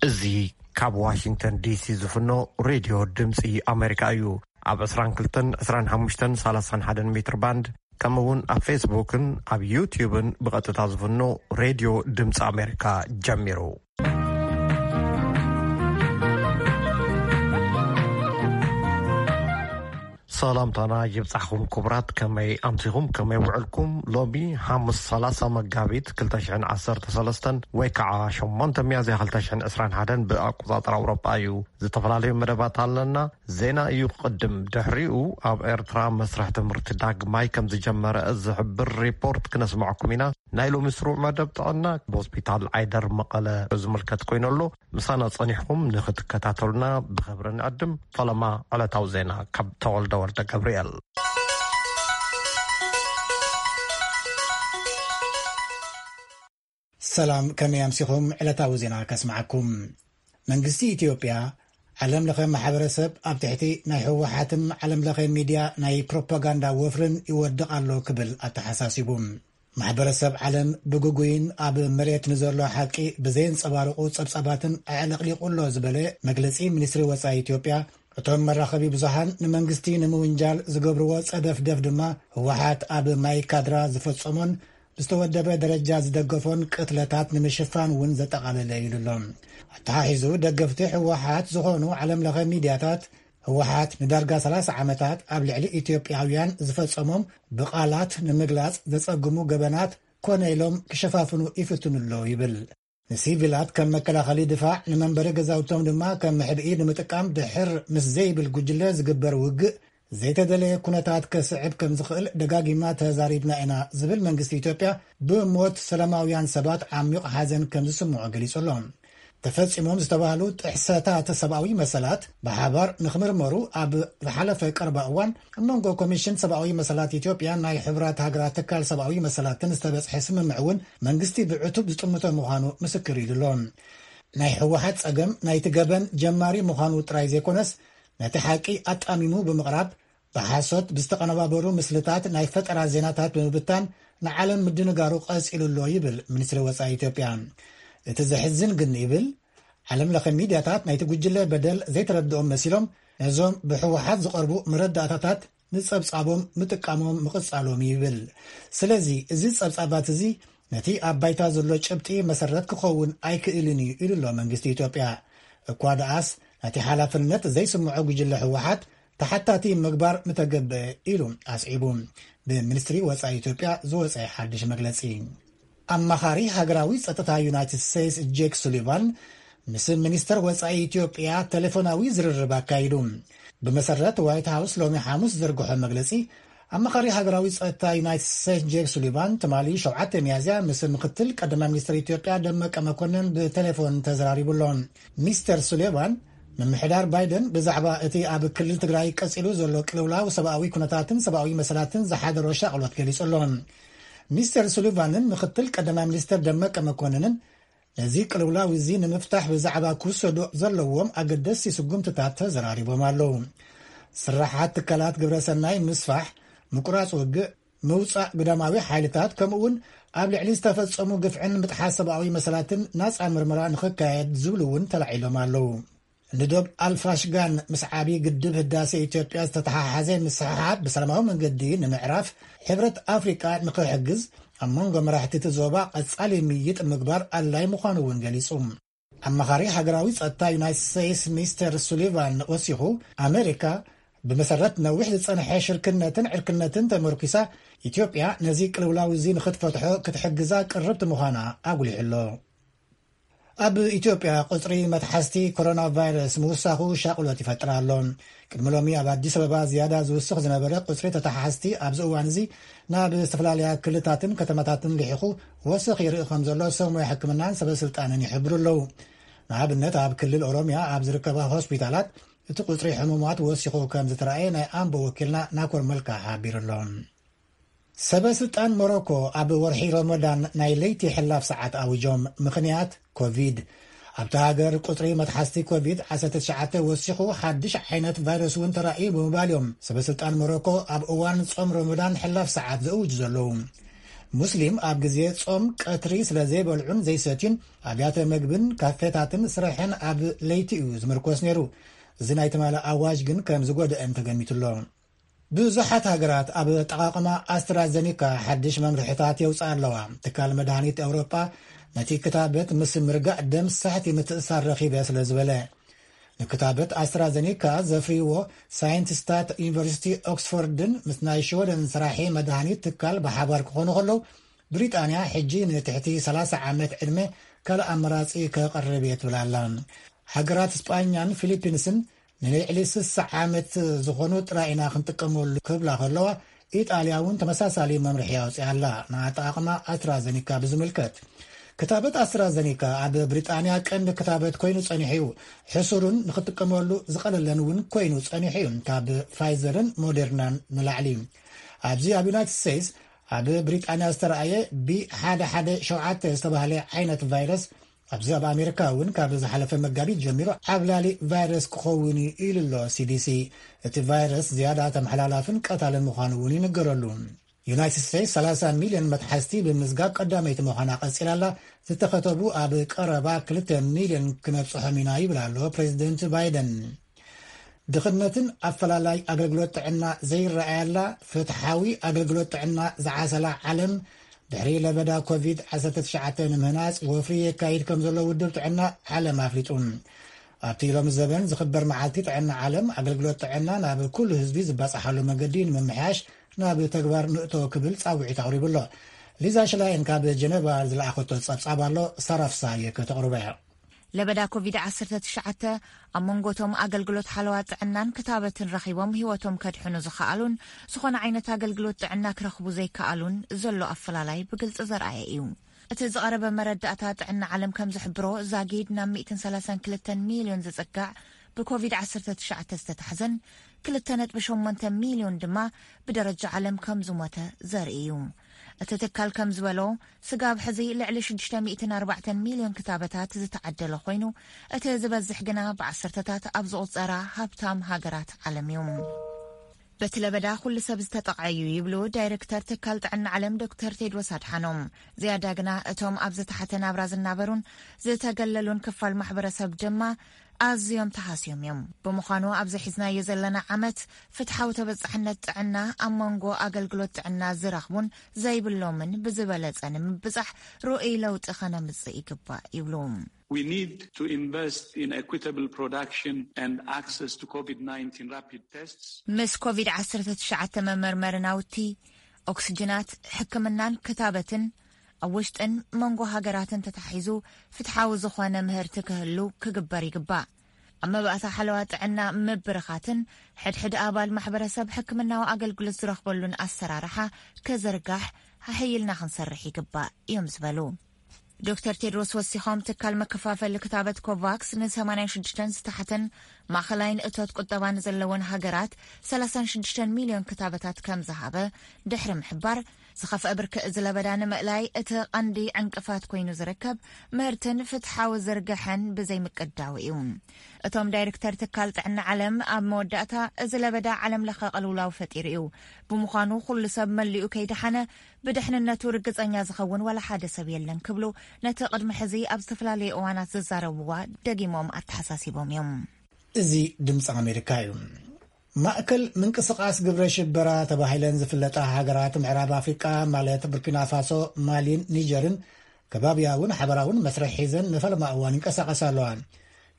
እዚ ካብ ዋሽንግተን ዲሲ ዝፍኖ ሬድዮ ድምፂ ኣሜሪካ እዩ። ኣብ ዕስራን ክልተን፣ ዕስራን ሓሙሽተን፣ ሰላሳን ሓደን ሜትር ባንድ፣ ከምኡ እውን ኣብ ፌስቡክን ኣብ ዩትዩብን ብቐጥታ ዝፍኖ ሬድዮ ድምፂ ኣሜሪካ ጀሚሩ። ሰላምታና ይብጻሕኹም ክቡራት፣ ከመይ ኣምሲኹም፣ ከመይ ውዕልኩም? ሎሚ ሓሙስ ሰላሳ መጋቢት ክልተ ሽሕን ዓሰርተ ሰለስተን ወይ ከዓ ሸሞንተ ሚያዝያ ክልተ ሽሕን ዕስራን ሓደን ብኣቆጻጽራ ኣውሮጳ እዩ። ዝተፈላለዩ መደባት ኣለና። ዜና እዩ ክቕድም። ድሕሪኡ ኣብ ኤርትራ መስርሕ ትምህርቲ ዳግማይ ከም ዝጀመረ ዝሕብር ሪፖርት ክነስምዐኩም ኢና። ናይ ሎሚ ስሩዕ መደብ ጥዕና ብሆስፒታል ዓይደር መቐለ ዝምልከት ኮይኑ ኣሎ። ምሳና ጸኒሕኩም ንኽትከታተሉና ብኽብሪ ንዕድም። ፈለማ ዕለታዊ ዜና ካብ ተወልደ ወልደ ገብርኤል። ሰላም፣ ከመይ ኣምሲኹም? ዕለታዊ ዜና ከስምዓኩም። መንግስቲ ኢትዮጵያ፣ ዓለም ለኸ ማሕበረሰብ ኣብ ትሕቲ ናይ ህወሓትን ዓለም ለኸ ሚድያ ናይ ፕሮፓጋንዳ ወፍርን ይወድቕ ኣሎ ክብል ኣተሓሳሲቡ። ማሕበረሰብ ዓለም ብግጉይን ኣብ መሬት ንዘሎ ሓቂ ብዘየንጸባርቑ ጸብጻባትን ኣዕለቕሊቑ ኣሎ ዝበለ መግለጺ ሚኒስትሪ ወጻኢ ኢትዮጵያ፣ እቶም መራኸቢ ብዙሃን ንመንግስቲ ንምውንጃል ዝገብርዎ ጸደፍደፍ ድማ ህወሓት ኣብ ማይ ካድራ ዝፈጸሞን ብዝተወደበ ደረጃ ዝደገፎን ቅትለታት ንምሽፋን እውን ዘጠቓለለ ኢሉ ኣሎ። ኣተሓሒዙ ደገፍቲ ህወሓት ዝኾኑ ዓለም ለኸ ሚድያታት ህወሓት ንዳርጋ ሰላሳ ዓመታት ኣብ ልዕሊ ኢትዮጵያውያን ዝፈጸሞም ብቓላት ንምግላጽ ዘጸግሙ ገበናት ኮነ ኢሎም ክሸፋፍኑ ይፍትኑ ኣለዉ ይብል። ንሲቪላት ከም መከላኸሊ ድፋዕ፣ ንመንበሪ ገዛውቶም ድማ ከም መሕብኢ ንምጥቃም ድሕር ምስ ዘይብል ጉጅለ ዝግበር ውግእ ዘይተደለየ ኩነታት ከስዕብ ከም ዝኽእል ደጋጊምና ተዛሪብና ኢና ዝብል መንግስቲ ኢትዮጵያ፣ ብሞት ሰላማውያን ሰባት ዓሚቕ ሓዘን ከም ዝስምዖ ገሊጹ ኣሎ። ተፈጺሞም ዝተባህሉ ጥሕሰታት ሰብኣዊ መሰላት ብሓባር ንኽምርመሩ ኣብ ዝሓለፈ ቀረባ እዋን ኣብ መንጎ ኮሚሽን ሰብኣዊ መሰላት ኢትዮጵያን ናይ ሕቡራት ሃገራት ትካል ሰብኣዊ መሰላትን ዝተበጽሐ ስምምዕ እውን መንግስቲ ብዕቱብ ዝጥምቶ ምዃኑ ምስክር ኢሉ ኣሎ። ናይ ህወሓት ጸገም ናይቲ ገበን ጀማሪ ምዃኑ ጥራይ ዘይኮነስ፣ ነቲ ሓቂ ኣጣሚሙ ብምቕራብ፣ ብሓሶት ብዝተቐነባበሩ ምስልታት ናይ ፈጠራ ዜናታት ብምብታን ንዓለም ምድንጋሩ ቀጺሉ ኣሎ ይብል ሚኒስትሪ ወጻኢ ኢትዮጵያ። እቲ ዘሕዝን ግን ይብል፣ ዓለም ለኸ ሚድያታት ናይቲ ጉጅለ በደል ዘይተረድኦም መሲሎም ነዞም ብህወሓት ዝቐርቡ መረዳእታታት ንጸብጻቦም ምጥቃሞም ምቕጻሎም ይብል። ስለዚ እዚ ጸብጻባት እዚ ነቲ ኣብ ባይታ ዘሎ ጭብጢ መሰረት ክኸውን ኣይክእልን እዩ ኢሉ ኣሎ መንግስቲ ኢትዮጵያ። እኳ ደኣስ ነቲ ሓላፍነት ዘይስምዖ ጉጅለ ህወሓት ተሓታቲ ምግባር ምተገብአ ኢሉ ኣስዒቡ። ብሚኒስትሪ ወጻኢ ኢትዮጵያ ዝወጸ ሓድሽ መግለጺ። ኣማኻሪ ሃገራዊ ጸጥታ ዩናይትድ ስቴትስ ጄክ ሱሊቫን ምስ ሚኒስተር ወጻኢ ኢትዮጵያ ቴሌፎናዊ ዝርርብ ኣካይዱ። ብመሰረት ዋይት ሃውስ ሎሚ ሓሙስ ዝዘርግሖ መግለጺ፣ ኣማኻሪ ሃገራዊ ጸጥታ ዩናይትድ ስቴትስ ጄክ ሱሊቫን ትማሊ ሸውዓተ ሚያዝያ ምስ ምክትል ቀዳማይ ሚኒስትር ኢትዮጵያ ደመቀ መኮንን ብቴሌፎን ተዘራሪቡ ኣሎ። ሚስተር ሱሊቫን፣ ምምሕዳር ባይደን ብዛዕባ እቲ ኣብ ክልል ትግራይ ቀጺሉ ዘሎ ቅልውላው ሰብኣዊ ኩነታትን ሰብኣዊ መሰላትን ዝሓደሮ ሻቕሎት ገሊጹ ኣሎ። ሚስተር ሱሊቫንን ምክትል ቀዳማይ ሚኒስትር ደመቀ መኮንንን ነዚ ቅልውላው እዚ ንምፍታሕ ብዛዕባ ክውሰዱ ዘለዎም ኣገደስቲ ስጉምትታት ተዘራሪቦም ኣለዉ። ስራሓት ትካላት ግብረሰናይ ምስፋሕ፣ ምቁራጽ ውግእ፣ ምውጻእ ግዳማዊ ሓይልታት፣ ከምኡውን ኣብ ልዕሊ ዝተፈጸሙ ግፍዕን ምጥሓስ ሰብኣዊ መሰላትን ናጻ ምርመራ ንኽካየድ ዝብሉ እውን ተላዒሎም ኣለዉ። ንዶብ ኣልፋሽጋን ምስ ዓቢ ግድብ ህዳሴ ኢትዮጵያ ዝተተሓሓዘ ምስሕሓብ ብሰላማዊ መንገዲ ንምዕራፍ ሕብረት ኣፍሪቃ ንኽሕግዝ ኣብ መንጎ መራሕቲ እቲ ዞባ ቀጻሊ ምይይጥ ምግባር ኣድላይ ምዃኑ እውን ገሊጹ። ኣማኻሪ ሃገራዊ ጸጥታ ዩናይትድ ስቴትስ ሚስተር ሱሊቫን ወሲኹ፣ ኣሜሪካ ብመሰረት ነዊሕ ዝጸንሐ ሽርክነትን ዕርክነትን ተመርኲሳ፣ ኢትዮጵያ ነዚ ቅልውላው እዚ ንኽትፈትሖ ክትሕግዛ ቅርብቲ ምዃና ኣጉሊሑ ኣሎ። ኣብ ኢትዮጵያ ቁጽሪ መትሓዝቲ ኮሮና ቫይረስ ምውሳኹ ሻቕሎት ይፈጥር ኣሎ። ቅድሚ ሎሚ ኣብ ኣዲስ ኣበባ ዝያዳ ዝውስኽ ዝነበረ ቁጽሪ ተተሓሓዝቲ ኣብዚ እዋን እዚ ናብ ዝተፈላለያ ክልታትን ከተማታትን ልሒኹ ወሰኽ ይርኢ ከም ዘሎ ሰብ ሞያ ሕክምናን ሰበ ስልጣንን ይሕብሩ ኣለዉ። ንኣብነት ኣብ ክልል ኦሮሚያ ኣብ ዝርከባ ሆስፒታላት እቲ ቁጽሪ ሕሙማት ወሲኹ ከም ዝተረኣየ ናይ ኣምቦ ወኪልና ናኮር መልካ ሓቢሩ ኣሎ። ሰበ ስልጣን ሞሮኮ ኣብ ወርሒ ረመዳን ናይ ለይቲ ሕላፍ ሰዓት ኣዊጆም። ምኽንያት ኮቪድ። ኣብታ ሃገር ቁጽሪ መትሓዝቲ ኮቪድ ዓሰርተ ትሽዓተ ወሲኹ ሓድሽ ዓይነት ቫይረስ እውን ተራእዩ ብምባል እዮም ሰበ ስልጣን ሞሮኮ ኣብ እዋን ጾም ረመዳን ሕላፍ ሰዓት ዘእውጁ ዘለዉ። ሙስሊም ኣብ ግዜ ጾም ቀትሪ ስለ ዘይበልዑን ዘይሰትዩን ኣብያተ መግብን ካፌታትን ስራሕን ኣብ ለይቲ እዩ ዝምርኮስ ነይሩ። እዚ ናይ ትማሊ ኣዋጅ ግን ከም ዝጎደአን ተገሚቱ ኣሎ። ብዙሓት ሃገራት ኣብ ኣጠቓቕማ ኣስትራዘኒካ ሓድሽ መምርሕታት የውፅኣ ኣለዋ። ትካል መድሃኒት ኤውሮጳ ነቲ ክታበት ምስ ምርጋእ ደም ሳሕቲ ምትእሳር ረኺበ ስለ ዝበለ፣ ንክታበት ኣስትራዘኒካ ዘፍርይዎ ሳይንቲስታት ዩኒቨርሲቲ ኦክስፎርድን ምስ ናይ ሽወደን ስራሒ መድሃኒት ትካል ብሓባር ክኾኑ ከለዉ፣ ብሪጣንያ ሕጂ ንትሕቲ ሰላሳ ዓመት ዕድመ ካልእ ኣመራጺ ከቕርብ እየ ትብል ኣላ። ሃገራት ስጳኛን ፊሊፒንስን ንልዕሊ ስሳ ዓመት ዝኾኑ ጥራይ ኢና ክንጥቀመሉ ክብላ ከለዋ፣ ኢጣልያ እውን ተመሳሳሊ መምርሒ ኣውፅያ ኣላ። ንኣጠቓቕማ ኣስትራዘኒካ ብዝምልከት፣ ክታበት ኣስትራዘኒካ ኣብ ብሪጣንያ ቀንዲ ክታበት ኮይኑ ጸኒሑ እዩ። ሕሱርን ንክጥቀመሉ ዝቐለለን እውን ኮይኑ ጸኒሑ እዩ፣ ካብ ፋይዘርን ሞዴርናን ንላዕሊ። ኣብዚ ኣብ ዩናይትድ ስቴትስ፣ ኣብ ብሪጣንያ ዝተረኣየ ቢ ሓደ ሓደ ሸውዓተ ዝተባህለ ዓይነት ቫይረስ፣ ኣብዚ ኣብ ኣሜሪካ እውን ካብ ዝሓለፈ መጋቢት ጀሚሩ ዓብላሊ ቫይረስ ክኸውን እዩ ኢሉ ኣሎ ሲዲሲ። እቲ ቫይረስ ዝያዳ ተመሓላላፍን ቀታልን ምዃኑ እውን ይንገረሉ። ዩናይትድ ስቴትስ ሰላሳ ሚልዮን መትሓዝቲ ብምዝጋብ ቀዳመይቲ ምዃና ቀጺላ ኣላ። ዝተኸተቡ ኣብ ቀረባ ክልተ ሚልዮን ክነብጽሖም ኢና ይብል ኣሎ ፕሬዚደንት ባይደን። ድኽነትን ኣፈላላይ ኣገልግሎት ጥዕና ዘይረኣየላ፣ ፍትሓዊ ኣገልግሎት ጥዕና ዝዓሰላ ዓለም፣ ድሕሪ ለበዳ ኮቪድ ዓሰርተ ትሽዓተ ንምህናጽ ወፍሪ የካይድ ከም ዘሎ ውድብ ጥዕና ዓለም ኣፍሊጡ። ኣብቲ ሎሚ ዘበን ዝኽበር መዓልቲ ጥዕና ዓለም፣ ኣገልግሎት ጥዕና ናብ ኩሉ ህዝቢ ዝባጻሓሉ መገዲ ንምምሕያሽ ናብ ተግባር ንእቶ ክብል ጻውዒት ኣቕሪቡ ኣሎ። ሊዛ ሽላይን ካብ ጀነቫ ዝለኣኸቶ ጸብጻብ ኣሎ፣ ሳራ ፍሳሃየ ከተቕርቦ እያ። ለበዳ ኮቪድ ዓሰርተ ትሽዓተ ኣብ መንጎቶም ኣገልግሎት ሓለዋ ጥዕናን ክታበትን ረኺቦም ህይወቶም ከድሕኑ ዝኸኣሉን ዝኾነ ዓይነት ኣገልግሎት ጥዕና ክረኽቡ ዘይከኣሉን ዘሎ ኣፈላላይ ብግልጺ ዘርኣየ እዩ። እቲ ዝቐረበ መረዳእታ ጥዕና ዓለም ከም ዝሕብሮ፣ ዛጊድ ናብ ሚእትን ሰላሳን ክልተን ሚልዮን ዝጽጋዕ ብኮቪድ ዓሰርተ ትሽዓተ ዝተታሕዘን ክልተ ነጥቢ ሸሞንተ ሚልዮን ድማ ብደረጃ ዓለም ከም ዝሞተ ዘርኢ እዩ። እቲ ትካል ከም ዝበሎ፣ ስጋብ ሕዚ ልዕሊ ሽዱሽተ ሚእትን ኣርባዕተን ሚልዮን ክታበታት ዝተዓደለ ኮይኑ፣ እቲ ዝበዝሕ ግና ብዓሰርተታት ኣብ ዝቑጸራ ሃብታም ሃገራት ዓለም እዩ። በቲ ለበዳ ኩሉ ሰብ ዝተጠቕዐ እዩ ይብሉ ዳይሬክተር ትካል ጥዕና ዓለም ዶክተር ቴድሮስ ኣድሓኖም። ዝያዳ ግና እቶም ኣብ ዝተሓተ ናብራ ዝናበሩን ዝተገለሉን ክፋል ማሕበረሰብ ድማ ኣዝዮም ተሃስዮም እዮም። ብምዃኑ ኣብዚ ሒዝናዮ ዘለና ዓመት ፍትሓዊ ተበጻሕነት ጥዕና ኣብ መንጎ ኣገልግሎት ጥዕና ዝረኽቡን ዘይብሎምን ብዝበለጸ ንምብጻሕ ርኡይ ለውጢ ከነምጽእ ይግባእ ይብሉ። We need to invest in equitable production and access to COVID nineteen rapid tests. ምስ ኮቪድ ዓሰርተ ትሽዓተ መመርመሪ ናውቲ፣ ኦክስጅናት፣ ሕክምናን ክታበትን ኣብ ውሽጥን መንጎ ሃገራትን ተታሒዙ ፍትሓዊ ዝኾነ ምህርቲ ክህሉ ክግበር ይግባእ። ኣብ መባእታ ሓለዋ ጥዕና ምብርኻትን ሕድሕድ ኣባል ማሕበረሰብ ሕክምናዊ ኣገልግሎት ዝረኽበሉን ኣሰራርሓ ክዝርጋሕ ሓሕይልና ክንሰርሕ ይግባእ እዮም ዝበሉ። ዶክተር ቴድሮስ ወሲኾም፣ ትካል መከፋፈሊ ክታበት ኮቫክስ ን ሰማንያን ሽዱሽተን ዝተሓተን ማእኸላይን እቶት ቁጠባ ንዘለወን ሃገራት ሰላሳን ሽዱሽተን ሚልዮን ክታበታት ከም ዝሃበ ድሕሪ ምሕባር፣ ዝኸፍአ ብርኪ እዚ ለበዳ ንምእላይ እቲ ቀንዲ ዕንቅፋት ኮይኑ ዝርከብ ምህርትን ፍትሓዊ ዝርግሐን ብዘይምቅዳው እዩ። እቶም ዳይሬክተር ትካል ጥዕና ዓለም ኣብ መወዳእታ፣ እዚ ለበዳ ዓለም ለኸ ቅልውላው ፈጢሩ እዩ። ብምዃኑ ኩሉ ሰብ መሊኡ ከይደሓነ ብድሕንነቱ ርግጸኛ ዝኸውን ዋላ ሓደ ሰብ የለን ክብሉ ነቲ ቅድሚ ሕዚ ኣብ ዝተፈላለዩ እዋናት ዝዛረብዋ ደጊሞም ኣተሓሳሲቦም እዮም። እዚ ድምፂ ኣሜሪካ እዩ። ማእከል ምንቅስቓስ ግብረ ሽበራ ተባሂለን ዝፍለጣ ሃገራት ምዕራብ ኣፍሪቃ፣ ማለት ቡርኪና ፋሶ፣ ማሊን ኒጀርን፣ ከባብያውን ሓበራውን መስርሕ ሒዘን ንፈለማ እዋን ይንቀሳቐሳ ኣለዋ።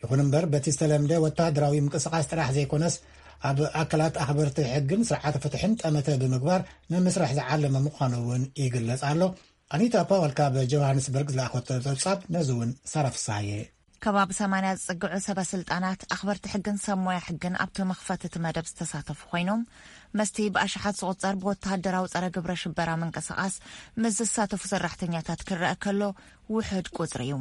ይኹን እምበር፣ በቲ ዝተለምደ ወተሃደራዊ ምንቅስቓስ ጥራሕ ዘይኮነስ፣ ኣብ ኣካላት ኣኽበርቲ ሕግን ስርዓተ ፍትሕን ጠመተ ብምግባር ንምስራሕ ዝዓለመ ምዃኑ እውን ይግለጽ ኣሎ። ኣኒታ ፓወል ካብ ጆሃንስበርግ ዝለኣኸቶ ጸብጻብ ነዚ እውን ሳራ ፍሳሃየ። ከባቢ ሰማንያ ዝጽግዑ ሰበ ስልጣናት፣ ኣኽበርቲ ሕግን ሰብ ሞያ ሕግን ኣብቲ መኽፈቲ እቲ መደብ ዝተሳተፉ ኮይኖም፣ መስቲ ብኣሽሓት ዝቑጸር ብወተሃደራዊ ጸረ ግብረ ሽበራ ምንቅስቓስ ምስ ዝሳተፉ ሰራሕተኛታት ክረአ ከሎ ውሑድ ቁጽሪ እዩ።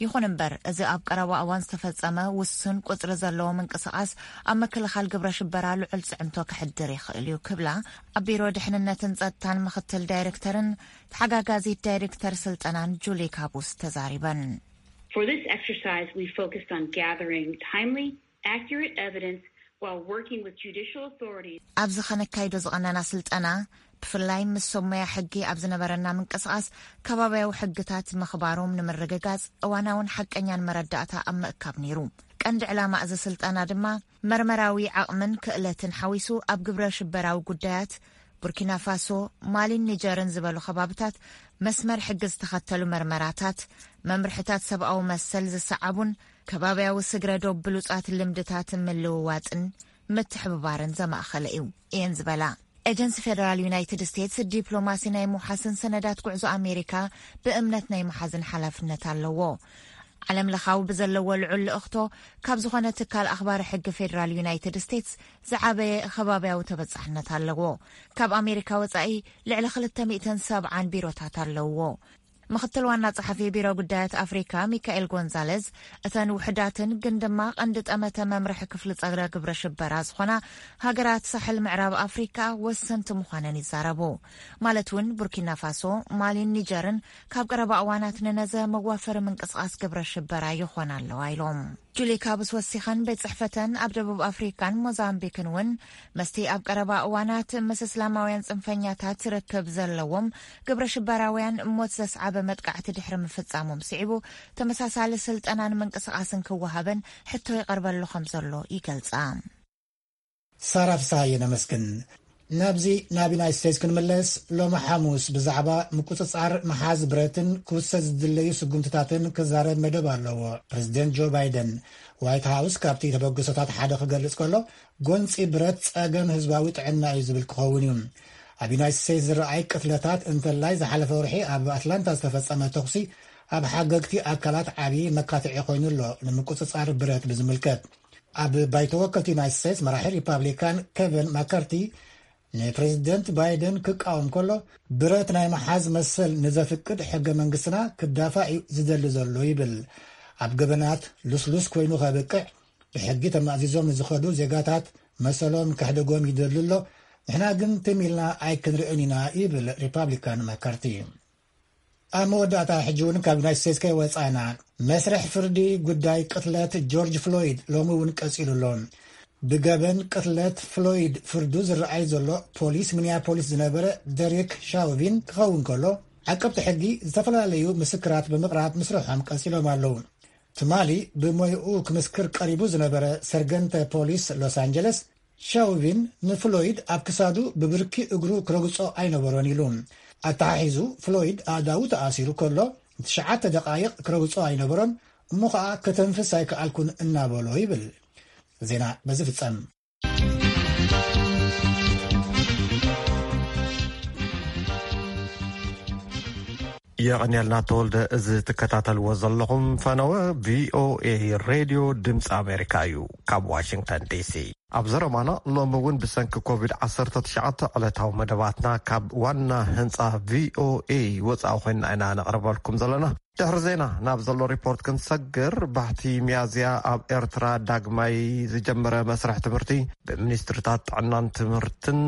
ይኹን እምበር፣ እዚ ኣብ ቀረባ እዋን ዝተፈጸመ ውሱን ቁጽሪ ዘለዎ ምንቅስቓስ ኣብ ምክልኻል ግብረ ሽበራ ልዑል ጽዕንቶ ከሕድር ይኽእል እዩ ክብላ ኣብ ቢሮ ድሕንነትን ጸጥታን ምኽትል ዳይሬክተርን ተሓጋጋዚት ዳይሬክተር ስልጠናን ጁሊ ካቡስ ተዛሪበን። For this exercise, we focused on gathering timely, accurate evidence while working with judicial authorities. ኣብዚ ኸነካይዶ ዝቐነና ስልጠና፣ ብፍላይ ምስ ሰብ ሞያ ሕጊ ኣብ ዝነበረና ምንቅስቓስ፣ ከባብያዊ ሕግታት ምኽባሮም ንምርግጋጽ እዋናውን ሓቀኛን መረዳእታ ኣብ ምእካብ ነይሩ። ቀንዲ ዕላማ እዚ ስልጠና ድማ፣ መርመራዊ ዓቕምን ክእለትን ሓዊሱ፣ ኣብ ግብረ ሽበራዊ ጉዳያት ቡርኪና ፋሶ፣ ማሊን ኒጀርን ዝበሉ ከባብታት መስመር ሕጊ ዝተኸተሉ መርመራታት፣ መምርሕታት ሰብኣዊ መሰል ዝሰዓቡን ከባብያዊ ስግረ ዶብ ብሉጻት ልምድታት ምልውዋጥን ምትሕብባርን ዘማእኸለ እዩ እየን ዝበላ። ኤጀንሲ ፌደራል ዩናይትድ ስቴትስ ዲፕሎማሲ ናይ ምውሓስን ሰነዳት ጉዕዞ ኣሜሪካ ብእምነት ናይ ምሓዝን ሓላፍነት ኣለዎ። ዓለም ለኻዊ ብዘለዎ ልዑል ልእኽቶ፣ ካብ ዝኾነ ትካል ኣኽባሪ ሕጊ ፌደራል ዩናይትድ ስቴትስ ዝዓበየ ከባብያዊ ተበጻሕነት ኣለዎ። ካብ ኣሜሪካ ወጻኢ ልዕሊ ክልተ ሚእትን ሰብዓን ቢሮታት ኣለዎ። ምኽትል ዋና ጸሓፊ ቢሮ ጉዳያት ኣፍሪካ ሚካኤል ጎንዛለዝ፣ እተን ውሕዳትን ግን ድማ ቀንዲ ጠመተ መምርሒ ክፍሊ ጸረ ግብረ ሽበራ ዝኾና ሃገራት ሳሕል ምዕራብ ኣፍሪካ ወሰንቲ ምዃነን ይዛረቡ። ማለት እውን ቡርኪና ፋሶ፣ ማሊን ኒጀርን ካብ ቀረባ እዋናት ንነዘ መዋፈሪ ምንቅስቓስ ግብረ ሽበራ ይኾና ኣለዋ ኢሎም። ጁሊ ካብስ ወሲኸን፣ ቤት ጽሕፈተን ኣብ ደቡብ ኣፍሪካን ሞዛምቢክን እውን መስቲ ኣብ ቀረባ እዋናት ምስ እስላማውያን ጽንፈኛታት ርክብ ዘለዎም ግብረ ሽበራውያን ሞት ዘስዓበ መጥቃዕቲ ድሕሪ ምፍጻሞም ስዒቡ፣ ተመሳሳሊ ስልጠናን ምንቅስቓስን ክወሃበን ሕቶ ይቐርበሉ ከም ዘሎ ይገልጻ። ሳራ ፍስሃየ ነመስግን። ናብዚ ናብ ዩናይት ስቴትስ ክንምለስ፣ ሎሚ ሓሙስ ብዛዕባ ምቁጽጻር መሓዝ ብረትን ክውሰድ ዝድለዩ ስጉምትታትን ክዛረብ መደብ ኣለዎ። ፕሬዚደንት ጆ ባይደን፣ ዋይት ሃውስ ካብቲ ተበግሶታት ሓደ ክገልጽ ከሎ፣ ጎንጺ ብረት ጸገም ህዝባዊ ጥዕና እዩ ዝብል ክኸውን እዩ። ኣብ ዩናይት ስቴትስ ዝረኣይ ቅትለታት፣ እንተላይ ዝሓለፈ ወርሒ ኣብ ኣትላንታ ዝተፈጸመ ተኹሲ፣ ኣብ ሓገግቲ ኣካላት ዓቢ መካትዒ ኮይኑ ኣሎ። ንምቁጽጻር ብረት ብዝምልከት፣ ኣብ ባይቶ ወከልቲ ዩናይት ስቴትስ መራሒ ሪፓብሊካን ኬቨን ማካርቲ ንፕሬዚደንት ባይደን ክቃወም ከሎ፣ ብረት ናይ መሓዝ መሰል ንዘፍቅድ ሕገ መንግስትና ክዳፋእ እዩ ዝደሊ ዘሎ ይብል። ኣብ ገበናት ልስሉስ ኮይኑ ከብቅዕ፣ ብሕጊ ተማእዚዞም ንዝኸዱ ዜጋታት መሰሎም ከሕደጎም ይደሊ ኣሎ። ንሕና ግን ትም ኢልና ኣይክንርእን ኢና ይብል ሪፓብሊካን ማካርቲ። ኣብ መወዳእታ፣ ሕጂ እውን ካብ ዩናይት ስቴትስ ከይወጻእና፣ መስርሕ ፍርዲ ጉዳይ ቅትለት ጆርጅ ፍሎይድ ሎሚ እውን ቀጺሉ ኣሎ። ብገበን ቅትለት ፍሎይድ ፍርዱ ዝረኣይ ዘሎ፣ ፖሊስ ሚኒያፖሊስ ዝነበረ ደሪክ ሻውቪን ክኸውን ከሎ፣ ዓቀብቲ ሕጊ ዝተፈላለዩ ምስክራት ብምቕራብ ምስርሖም ቀጺሎም ኣለዉ። ትማሊ ብሞይኡ ክምስክር ቀሪቡ ዝነበረ ሰርገንተ ፖሊስ ሎስ ኣንጀለስ፣ ሻውቪን ንፍሎይድ ኣብ ክሳዱ ብብርኪ እግሩ ክረግጾ ኣይነበሮን ኢሉ። ኣተሓሒዙ፣ ፍሎይድ ኣእዳዉ ተኣሲሩ ከሎ ንትሽዓተ ደቓይቕ ክረግጾ ኣይነበሮን፣ እሞ ኸኣ "ከተንፍስ ኣይከኣልኩን" እናበሎ ይብል። ዜና በዚ ፍጸም። የቐንየልና ተወልደ። እዚ ትከታተልዎ ዘለኹም ፈነወ ቪኦኤ ሬድዮ ድምፂ ኣሜሪካ እዩ፣ ካብ ዋሽንግተን ዲሲ። ኣብ ዘረባና፣ ሎሚ እውን ብሰንኪ ኮቪድ ዓሰርተ ትሽዓተ ዕለታዊ መደባትና ካብ ዋና ህንፃ ቪኦኤ ወፃኢ ኮይንና ኢና ነቕርበልኩም ዘለና። ድሕሪ ዜና ናብ ዘሎ ሪፖርት ክንሰግር፣ ባሕቲ ሚያዝያ ኣብ ኤርትራ ዳግማይ ዝጀመረ መስርሕ ትምህርቲ፣ ብሚኒስትርታት ጥዕናን ትምህርትን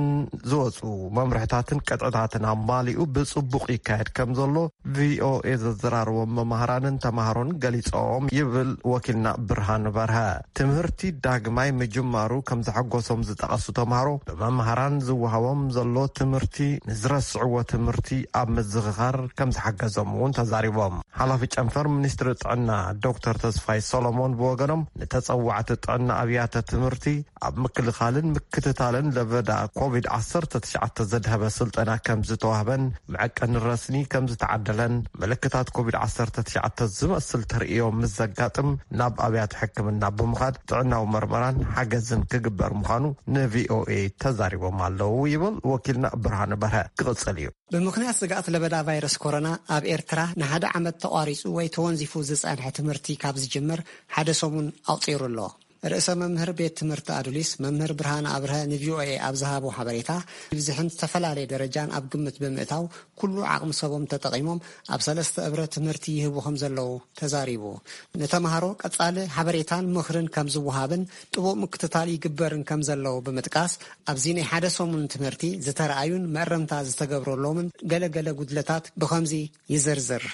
ዝወፁ መምርሕታትን ቅጥዕታትን ኣማሊኡ ብፅቡቕ ይካየድ ከም ዘሎ ቪኦኤ ዘዘራረቦም መማህራንን ተማሃሮን ገሊፆም ይብል ወኪልና ብርሃን በርሀ። ትምህርቲ ዳግማይ ምጅማሩ ከም ዘሐጎሶም ዝጠቐሱ ተማሃሮ፣ ብመማህራን ዝወሃቦም ዘሎ ትምህርቲ ንዝረስዕዎ ትምህርቲ ኣብ ምዝኽኻር ከም ዝሓገዞም እውን ተዛሪቦም። ሓላፊ ጨንፈር ሚኒስትሪ ጥዕና ዶክተር ተስፋይ ሰሎሞን ብወገኖም፣ ንተጸዋዕቲ ጥዕና ኣብያተ ትምህርቲ ኣብ ምክልኻልን ምክትታልን ለበዳ ኮቪድ ዓሰርተ ትሽዓተ ዘድሀበ ስልጠና ከም ዝተዋህበን፣ መዐቀኒ ረስኒ ከም ዝተዓደለን፣ ምልክታት ኮቪድ ዓሰርተ ትሽዓተ ዝመስል ተርእዮ ምስ ዘጋጥም፣ ናብ ኣብያተ ሕክምና ብምኻድ ጥዕናዊ መርመራን ሓገዝን ክግበር ምዃኑ ንቪኦኤ ተዛሪቦም ኣለዉ ይብል ወኪልና ብርሃነ በርሀ። ክቕጽል እዩ። ብምኽንያት ስግኣት ለበዳ ቫይረስ ኮሮና፣ ኣብ ኤርትራ ንሓደ ዓመት ተቋሪጹ ወይ ተወንዚፉ ዝጸንሐ ትምህርቲ ካብ ዝጅምር ሓደ ሰሙን ኣቑጺሩ ኣሎ። ርእሰ መምህር ቤት ትምህርቲ ኣዱሊስ፣ መምህር ብርሃነ ኣብርሀ፣ ንቪኦኤ ኣብ ዝሃቦ ሓበሬታ፣ ብዝሕን ዝተፈላለየ ደረጃን ኣብ ግምት ብምእታው፣ ኩሉ ዓቕሚ ሰቦም ተጠቒሞም ኣብ ሰለስተ እብረ ትምህርቲ ይህቡ ከም ዘለዉ ተዛሪቡ። ንተምሃሮ ቀጻሊ ሓበሬታን ምኽርን ከም ዝወሃብን ጥቡቕ ምክትታል ይግበርን ከም ዘለዉ ብምጥቃስ፣ ኣብዚ ናይ ሓደ ሰሙን ትምህርቲ ዝተረኣዩን መእረምታ ዝተገብረሎምን ገለ ገለ ጉድለታት ብኸምዚ ይዝርዝር።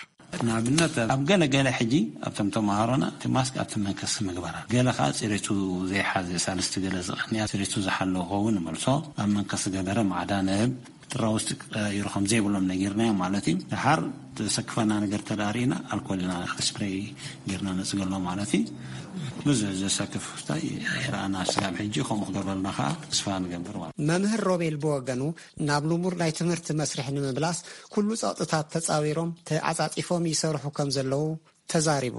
ንኣብነት ኣብ ገለ ገለ ሕጂ ኣብቶም ተምሃሮና እቲ ማስክ ኣብቲ መንከስ ምግባር፣ ገለ ከዓ ፅሬቱ ዘይሓዘ፣ ሳልስቲ ገለ ዝቐንያ፣ ፅሬቱ ዝሓለወ ክኸውን ንመልሶ፣ ኣብ መንከስ ገበረ ማዕዳ ንህብ። ጥራ ውስጥ ቀይሩ ከም ዘይብሎም ነጊርናዮ ማለት እዩ። ድሓር ዘሰክፈና ነገር ተዳሪና ኣልኮል ኢና ስፕሬይ ጌርና ነፅገሎ ማለት እዩ። ብዙ ዘሰክፍ ስታይ ይረኣና። ስጋብ ሕጂ ከምኡ ክገብረልና ከዓ ተስፋ ንገብር ማለት እዩ። መምህር ሮቤል ብወገኑ፣ ናብ ልሙድ ናይ ትምህርቲ መስርሕ ንምምላስ ኩሉ ጸቕጥታት ተጻዊሮም ተዓጻጺፎም ይሰርሑ ከም ዘለዉ ተዛሪቡ።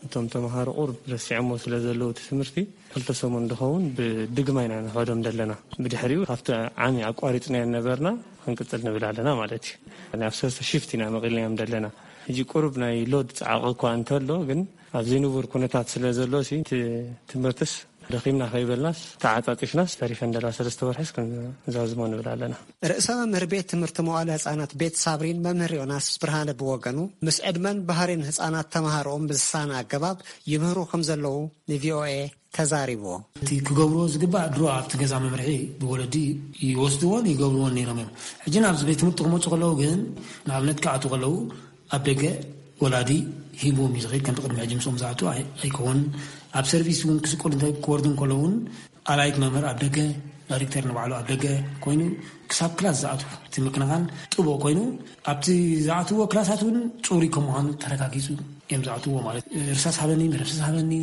እቶም ተምሃሮ ቁሩብ ረሲዖሞ ስለ ዘለዉ እቲ ትምህርቲ፣ ክልተ ሰሙን ዝኸውን ብድግማይ ኢና ንኸዶም ዘለና። ብድሕሪኡ ካብቲ ዓሚ ኣቋሪጽናዮ ነበርና፣ ክንቅጽል ንብል ኣለና ማለት እዩ። ናብ ሰለስተ ሽፍት ኢና መቒልናዮም ዘለና። ሕጂ ቁሩብ ናይ ሎድ ጻዕቂ እኳ እንተሎ፣ ግን ኣብ ዘይንቡር ኩነታት ስለ ዘሎ ሲ፣ እቲ ትምህርትስ ደኺምና ከይበልናስ፣ ተዓጻጺፍናስ፣ ተሪፈን ደላ ሰለስተ ወርሕስ ክንዛዝሞ ንብል ኣለና። ርእሰ መምህር ቤት ትምህርቲ መዋእለ ህጻናት ቤት ሳብሪን መምህር ዮናስ ብርሃነ ብወገኑ፣ ምስ ዕድመን ባህሪን ህጻናት ተምሃሮኦም ብዝሳነ ኣገባብ ይምህሩ ከም ዘለዉ ንቪኦኤ ተዛሪቡ። እቲ ክገብርዎ ዝግባእ ድሮ ኣብቲ ገዛ መምርሒ ብወለዲ ይወስድዎን ይገብርዎን ነይሮም እዮም። ሕጂ ናብዚ ቤት ትምህርቲ ክመጹ ከለዉ ግን፣ ንኣብነት ክኣትዉ ከለዉ ኣብ ደገ ወላዲ ሂብዎም እዩ ዝኸይድ። ከምቲ ቅድሚ ሕጂ ምስኦም ዝኣትዉ ኣይ-፣ ኣይከውንን። ኣብ ሰርቪስ እውን ክስቆል እንተ-፣ ክወርዱ እንከለዉ እውን ኣላይት መምህር ኣብ ደገ፣ ዳይሬክተር ንባዕሉ ኣብ ደገ ኮይኑ ክሳብ ክላስ ዝኣትዉ እቲ ምክንኻን ጥቡቕ ኮይኑ፣ ኣብቲ ዝኣትውዎ ክላሳት እውን ጽሩይ ከም ምዃኑ ተረጋጊጹ እዮም ዝኣትውዎ ማለት እዩ። እርሳስ ሃበኒ፣ መደምሰስ ሃበኒ፣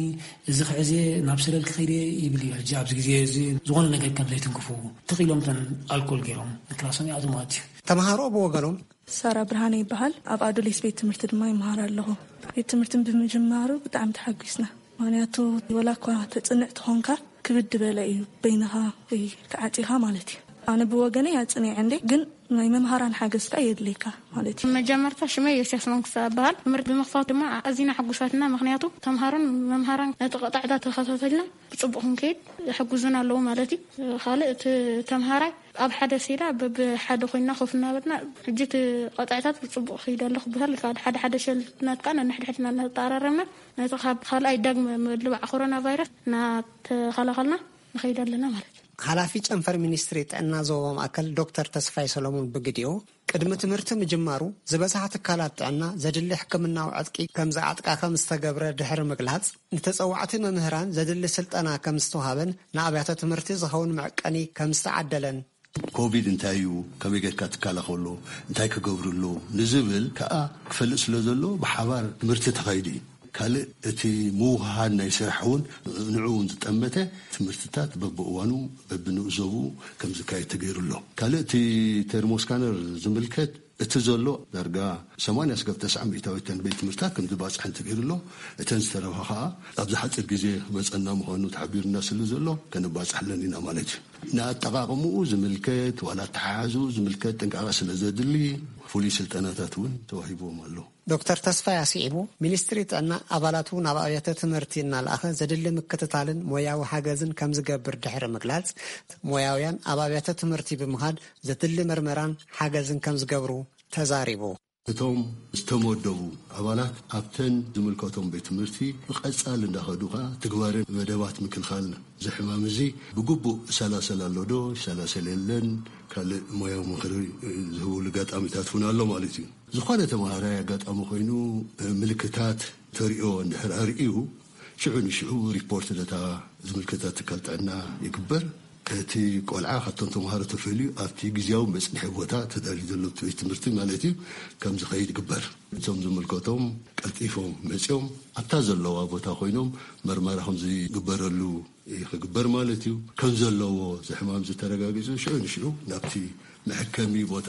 እዚ ክሕዜ ናብ ሰለል ክኸይድ እየ ይብል እዩ። ሕጂ ኣብዚ ግዜ እዚ ዝኾነ ነገር ከም ዘይትንክፉ ትኽ ኢሎም እተን ኣልኮል ገይሮም ንክላሶም ይኣትዉ ማለት እዩ። ተምሃሮ ብወገኖም ሳራ ብርሃነ ይበሃል። ኣብ ኣዶሌስ ቤት ትምህርቲ ድማ ይመሃር ኣለኹ። ቤት ትምህርቲ ብምጅማሩ ብጣዕሚ ተሓጒስና። ምኽንያቱ ወላ እኳ ተጽንዕ ትኾንካ፣ ክብድ በለ እዩ በይንኻ ወይ ተዓጺኻ ማለት እዩ። ኣነ ብወገነይ ኣጽኒዐ እንዴ፣ ግን ናይ መምሃራን ሓገዝ ከኣ የድልየካ ማለት እዩ። መጀመርታ ሽመይ ዮስያስ መንግስቲ እበሃል። ትምህርቲ ብምኽፋት ድማ ኣዚና ሕጉሳትና፣ ምኽንያቱ ተምሃሮን መምሃራን ነቲ ቀጣዕታ ተኸታተልና ብጽቡቕ ክንከይድ ይሕግዙና ኣለዉ ማለት እዩ። ካልእ እቲ ተምሃራይ ኣብ ሓደ ሴራ በብሓደ ኮይንና ኮፍ እናበልና፣ ሕጂ እቲ ቀጣዕታት ብጽቡቕ ክይድ ኣሎ ክበሃል ይከኣል። ሓደ ሓደ ሸልፍትናት ከኣ ነንሕድሕድና እናተጠራረምና፣ ነቲ ካብ ካልኣይ ዳግመ ምልባዕ ኮሮና ቫይረስ እናተኸላኸልና ንኸይድ ኣለና ማለት እዩ። ሓላፊ ጨንፈር ሚኒስትሪ ጥዕና ዞባ ማእከል ዶክተር ተስፋይ ሰሎሞን ብግዲኡ፣ ቅድሚ ትምህርቲ ምጅማሩ ዝበዝሓ ትካላት ጥዕና ዘድሊ ሕክምናዊ ዕጥቂ ከም ዝዓጥቃ ከም ዝተገብረ ድሕሪ ምግላጽ፣ ንተጸዋዕቲ መምህራን ዘድሊ ስልጠና ከም ዝተዋሃበን ንኣብያተ ትምህርቲ ዝኸውን መዕቀኒ ከም ዝተዓደለን። ኮቪድ እንታይ እዩ፣ ከመይ ጌርካ ትከላኸሎ፣ እንታይ ክገብሩ ኣለዎም ንዝብል ከኣ ክፈልጥ ስለ ዘሎ ብሓባር ትምህርቲ ተኻይዱ እዩ። ካልእ እቲ ምውህሃድ ናይ ስራሕ እውን ንዕኡ እውን ዝጠመተ ትምህርትታት በብእዋኑ በብንኡዘቡ ከም ዝካየድ ተገይሩ ኣሎ። ካልእ እቲ ቴርሞስካነር ዝምልከት እቲ ዘሎ ዳርጋ ሰማንያ ስጋብ ተስዓ ሚእታዊት እተን ቤት ትምህርትታት ከም ዝባፅሐን ተገይሩ ኣሎ። እተን ዝተረፋ ከዓ ኣብዚ ሓፂር ግዜ ክመፀና ምዃኑ ተሓቢሩና ስለ ዘሎ ከነባፅሐለን ኢና ማለት እዩ። ንኣጠቓቕምኡ ዝምልከት ዋላ ኣተሓሕዝኡ ዝምልከት ጥንቃቐ ስለ ዘድሊ ፍሉይ ስልጠናታት እውን ተዋሂብዎም ኣሎ። ዶክተር ተስፋይ ኣስዒቡ፣ ሚኒስትሪ ጥዕና ኣባላቱ ናብ ኣብያተ ትምህርቲ እናለኣኸ ዘድሊ ምክትታልን ሞያዊ ሓገዝን ከም ዝገብር ድሕሪ ምግላጽ፣ ሞያውያን ኣብ ኣብያተ ትምህርቲ ብምኻድ ዘድሊ መርመራን ሓገዝን ከም ዝገብሩ ተዛሪቡ። እቶም ዝተመደቡ ኣባላት ኣብተን ዝምልከቶም ቤት ትምህርቲ ብቐጻሊ እንዳኸዱ ኸኣ ትግባረ መደባት ምክልኻል እዚ ሕማም እዚ ብግቡእ ይሰላሰል ኣሎ ዶ ይሰላሰል የለን፣ ካልእ ሞያዊ ምኽሪ ዝህብሉ ኣጋጣሚታት እውን ኣሎ ማለት እዩ። ዝኾነ ተምሃራይ ኣጋጣሚ ኮይኑ ምልክታት ተሪኦ እንድሕር ኣርእዩ፣ ሽዑ ንሽዑ ሪፖርት ነታ ዝምልከታ ትካል ጥዕና ይግበር። እቲ ቆልዓ ካብቶም ተምሃሮ ተፈልዩ ኣብቲ ግዝያዊ መጽንሒ ቦታ ተዳልዩ ዘሎ ቤት ትምህርቲ ማለት እዩ ከም ዝኸይድ ይግበር። እቶም ዝምልከቶም ቀልጢፎም መጺኦም ኣብታ ዘለዋ ቦታ ኮይኖም መርመራ ከም ዝግበረሉ ክግበር ማለት እዩ። ከም ዘለዎ እዚ ሕማም ዝተረጋጊጹ ሽዑ ንሽዑ ናብቲ መሐከሚ ቦታ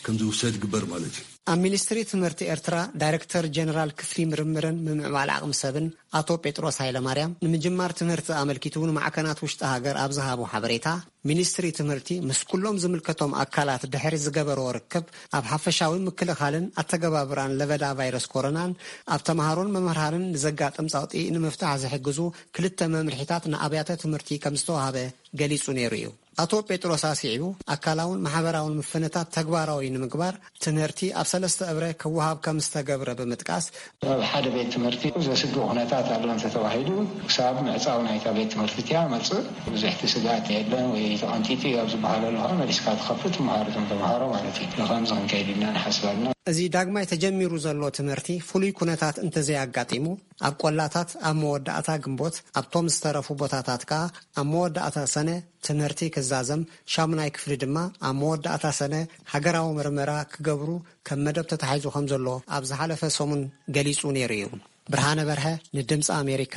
ከም ዝውሰድ ይግበር ማለት እዩ። ኣብ ሚኒስትሪ ትምህርቲ ኤርትራ ዳይሬክተር ጀነራል ክፍሊ ምርምርን ምምዕባል ዓቕሚ ሰብን ኣቶ ጴጥሮስ ሃይለማርያም፣ ንምጅማር ትምህርቲ ኣመልኪቱ ንማዕከናት ውሽጢ ሃገር ኣብ ዝሃቦ ሓበሬታ፣ ሚኒስትሪ ትምህርቲ ምስ ኩሎም ዝምልከቶም ኣካላት ድሕሪ ዝገበሮ ርክብ፣ ኣብ ሓፈሻዊ ምክልኻልን ኣተገባብራን ለበዳ ቫይረስ ኮሮናን ኣብ ተምሃሮን መምህራንን ንዘጋጥም ጸቕጢ ንምፍታሕ ዝሕግዙ ክልተ መምርሒታት ንኣብያተ ትምህርቲ ከም ዝተዋህበ ገሊጹ ነይሩ እዩ። ኣቶ ጴጥሮስ ኣስዒቡ፣ ኣካላውን ማሕበራውን ምፍንታት ተግባራዊ ንምግባር ትምህርቲ ኣብ ሰለስተ እብረ ክወሃብ ከም ዝተገብረ ብምጥቃስ፣ ኣብ ሓደ ቤት ትምህርቲ ዘስግእ ኩነታት ኣሎ እንተተባሂሉ፣ ክሳብ ምዕጻው ናይታ ቤት ትምህርቲ እቲኣ መጽእ ብዙሕ እቲ ስግኣት የለን ወይ ተቐንጢጡ እዩ ኣብ ዝበሃለሉ ከዓ መሊስካ ትኸፍት፣ ትምሃር እቶም ተምሃሮ ማለት እዩ። ብኸምዚ ክንከይድ ኢና ንሓስብ ኣለና። እዚ ዳግማይ ተጀሚሩ ዘሎ ትምህርቲ ፍሉይ ኩነታት እንተዘይኣጋጢሙ፣ ኣብ ቆላታት ኣብ መወዳእታ ግንቦት፣ ኣብቶም ዝተረፉ ቦታታት ከኣ ኣብ መወዳእታ ሰነ ትምህርቲ ክዛዘም፣ ሻሙናይ ክፍሊ ድማ ኣብ መወዳእታ ሰነ ሃገራዊ ምርመራ ክገብሩ ከም መደብ ተታሒዙ ከም ዘሎ ኣብ ዝሓለፈ ሰሙን ገሊጹ ነይሩ እዩ። ብርሃነ በርሀ ንድምፂ ኣሜሪካ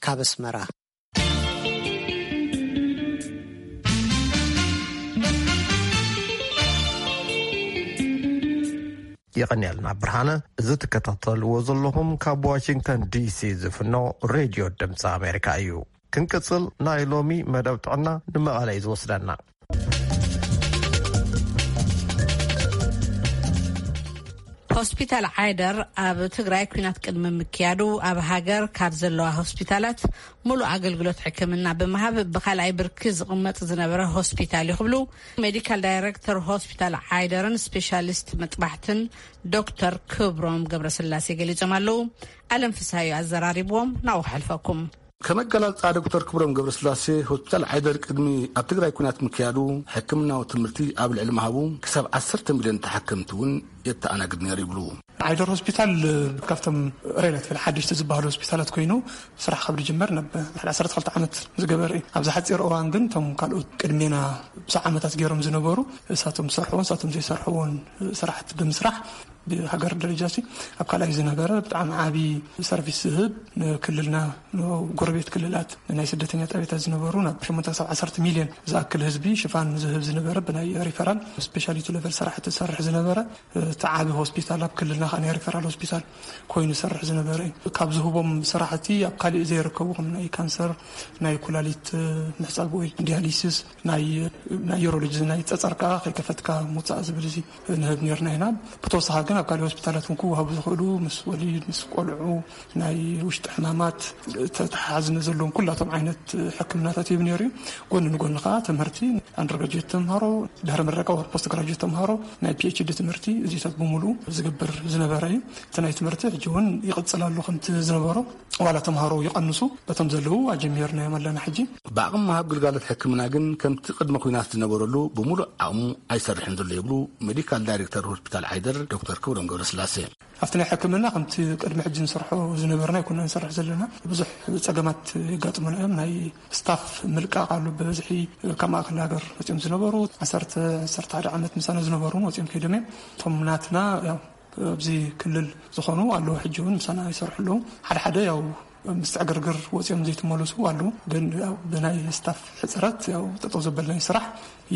ካብ ኣስመራ። የቐንየልና ብርሃነ። እዚ ትከታተልዎ ዘለኹም ካብ ዋሽንግተን ዲሲ ዝፍኖ ሬድዮ ድምፂ ኣሜሪካ እዩ። ክንቅጽል፣ ናይ ሎሚ መደብ ጥዕና ንመቐለ እዩ ዝወስደና። ሆስፒታል ዓይደር ኣብ ትግራይ ኲናት ቅድሚ ምክያዱ ኣብ ሃገር ካብ ዘለዋ ሆስፒታላት ሙሉእ ኣገልግሎት ሕክምና ብምሃብ ብኻልኣይ ብርኪ ዝቕመጥ ዝነበረ ሆስፒታል እዩ ክብሉ ሜዲካል ዳይሬክተር ሆስፒታል ዓይደርን ስፔሻሊስት መጥባሕትን ዶክተር ክብሮም ገብረስላሴ ገሊጾም ኣለዉ። ኣለም ፍስሃዩ ኣዘራሪብዎም፣ ናብኡ ክሕልፈኩም። ከም ኣገላልጻ ዶክተር ክብሮም ገብረስላሴ፣ ሆስፒታል ዓይደር ቅድሚ ኣብ ትግራይ ኲናት ምክያዱ ሕክምናዊ ትምህርቲ ኣብ ልዕሊ ምሃቡ ክሳብ ዓሰርተ ሚልዮን ተሓከምቲ እውን የተኣናግድ ነይሩ ይብሉ። ዓይደር ሆስፒታል ካብቶም ሬላቲቭሊ ሓደሽቲ ዝበሃሉ ሆስፒታላት ኮይኑ ስራሕ ካብ ዝጅመር ናብ ልዕሊ ዓሰርተ ክልተ ዓመት ዝገበረ እዩ። ኣብዚ ሓፂር እዋን ግን እቶም ካልኦት ቅድሜና ብዙሕ ዓመታት ገይሮም ዝነበሩ እሳቶም ዝሰርሕዎን እሳቶም ዘይሰርሕዎን ስራሕቲ ብምስራሕ ብሃገር ደረጃ ሲ ኣብ ካልኣይ ዝነበረ ብጣዕሚ ዓቢ ሰርቪስ ዝህብ ንክልልና ንጎረቤት ክልላት ናይ ስደተኛ ጣቢያታት ዝነበሩ ናብ ሸሞንተ ክሳብ ዓሰርተ ሚልዮን ዝኣክል ህዝቢ ሽፋን ዝህብ ዝነበረ ብናይ ሪፈራል ስፔሻሊቲ ሌቨል ስራሕቲ ዝሰርሕ ዝነበረ እቲ ዓቢ ሆስፒታል ኣብ ክልልና ከኣ ናይ ሪፈራል ሆስፒታል ኮይኑ ዝሰርሕ ዝነበረ እዩ። ካብ ዝህቦም ስራሕቲ ኣብ ካሊእ ዘይርከቡ ከም ናይ ካንሰር፣ ናይ ኩላሊት ምሕጻብ ወይ ዲያሊሲስ፣ ናይ ናይ ዩሮሎጂ ናይ ጸጸር ከኣ ከይከፈትካ ምውጻእ ዝብል እዚ ንህብ ነርና ኢና። ብተወሳኺ ግን ኣብ ካልእ ሆስፒታላት እውን ክወሃቡ ዝኽእሉ ምስ ወሊድ ምስ ቆልዑ ናይ ውሽጢ ሕማማት ተተሓዝነ ዘለዎም ኩላቶም ዓይነት ሕክምናታት ይህብ ነይሩ እዩ። ጎኒ ንጎኒ ከዓ ትምህርቲ ኣንደርግራጅዌት ተምሃሮ ድሕሪ ምረቃ ፖስት ግራጅዌት ተምሃሮ ናይ ፒኤችዲ ትምህርቲ እዚታት ብምሉኡ ዝገብር ዝነበረ እዩ። እቲ ናይ ትምህርቲ ሕጂ እውን ይቕፅል ኣሎ ከምቲ ዝነበሮ ዋላ ተምሃሮ ይቐንሱ በቶም ዘለዉ ኣጀሚርናዮም ኣለና ሕጂ። ብዓቕሚ ምሃብ ግልጋሎት ሕክምና ግን ከምቲ ቅድሚ ኲናት ዝነበረሉ ብምሉእ ዓቕሙ ኣይሰርሕን ዘሎ ይብሉ ሜዲካል ዳይሬክተር ሆስፒታል ዓይደር ዶክተር ክብሮም ገብረስላሴ። ኣብቲ ናይ ሕክምና ከምቲ ቅድሚ ሕጂ ንሰርሖ ዝነበርና ኣይኮና ንሰርሕ ዘለና። ብዙሕ ፀገማት የጋጥሙና እዮም። ናይ ስታፍ ምልቃቕ ኣሎ ብበዝሒ ካብ ማእከል ሃገር መፅኦም ዝነበሩ ዓሰርተ ዓሰርተ ሓደ ዓመት ምሳና ዝነበሩ እውን ወፅኦም ከይዶም እዮም። እቶም ናትና ያው ኣብዚ ክልል ዝኾኑ ኣለዉ ሕጂ እውን ምሳና ይሰርሑ ኣለዉ። ሓደ ሓደ ያው ምስትዕግርግር ወፂኦም ዘይተመለሱ ኣለዉ። ግን ያው ብናይ ስታፍ ሕፅረት ያው ጠጠው ዘበልናይ ስራሕ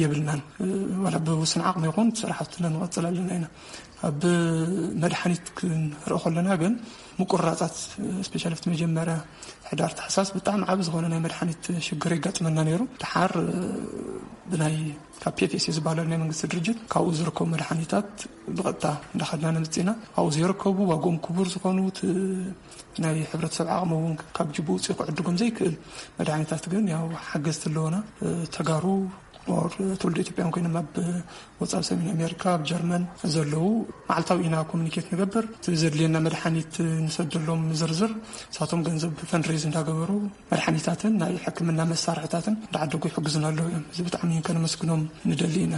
የብልናን። ዋላ ብውስን ዓቕሚ ይኹን ስራሕትና ንቐፅል ኣለና ኢና። ኣብ መድሓኒት ክንርኢ ከለና ግን ምቁርራፃት ስፔሻሊ ኣብቲ መጀመርያ ሕዳር ታሕሳስ ብጣዕሚ ዓቢ ዝኾነ ናይ መድሓኒት ሽግር የጋጥመና ነይሩ። ድሓር ብናይ ካብ ፒኤፍኤስ ዝበሃል ናይ መንግስቲ ድርጅት ካብኡ ዝርከቡ መድሓኒታት ብቐጥታ እንዳኸድና ነምፅና ኣብኡ ዘይርከቡ ዋግኦም ክቡር ዝኾኑ ናይ ሕብረተሰብ ዓቕሚ እውን ካብ ጅቡ ውፅኢ ክዕድጎም ዘይክእል መድሓኒታት ግን ያው ሓገዝቲ ኣለውና። ተጋሩ ትውልደ ኢትዮጵያን ኮይኖም ኣብ ወፃኢ ሰሜን ኣሜሪካ ኣብ ጀርመን ዘለዉ መዓልታዊ ኢና ኮሚኒኬት ንገብር። እቲ ዘድልየና መድሓኒት ንሰደሎም ዝርዝር ንሳቶም ገንዘብ ፈንድሬዝ እንዳገበሩ መድሓኒታትን ናይ ሕክምና መሳርሕታትን እንዳዓደጉ ይሕግዙና ኣለዉ እዮም። እዚ ብጣዕሚ ከነመስግኖም ንደሊ ኢና።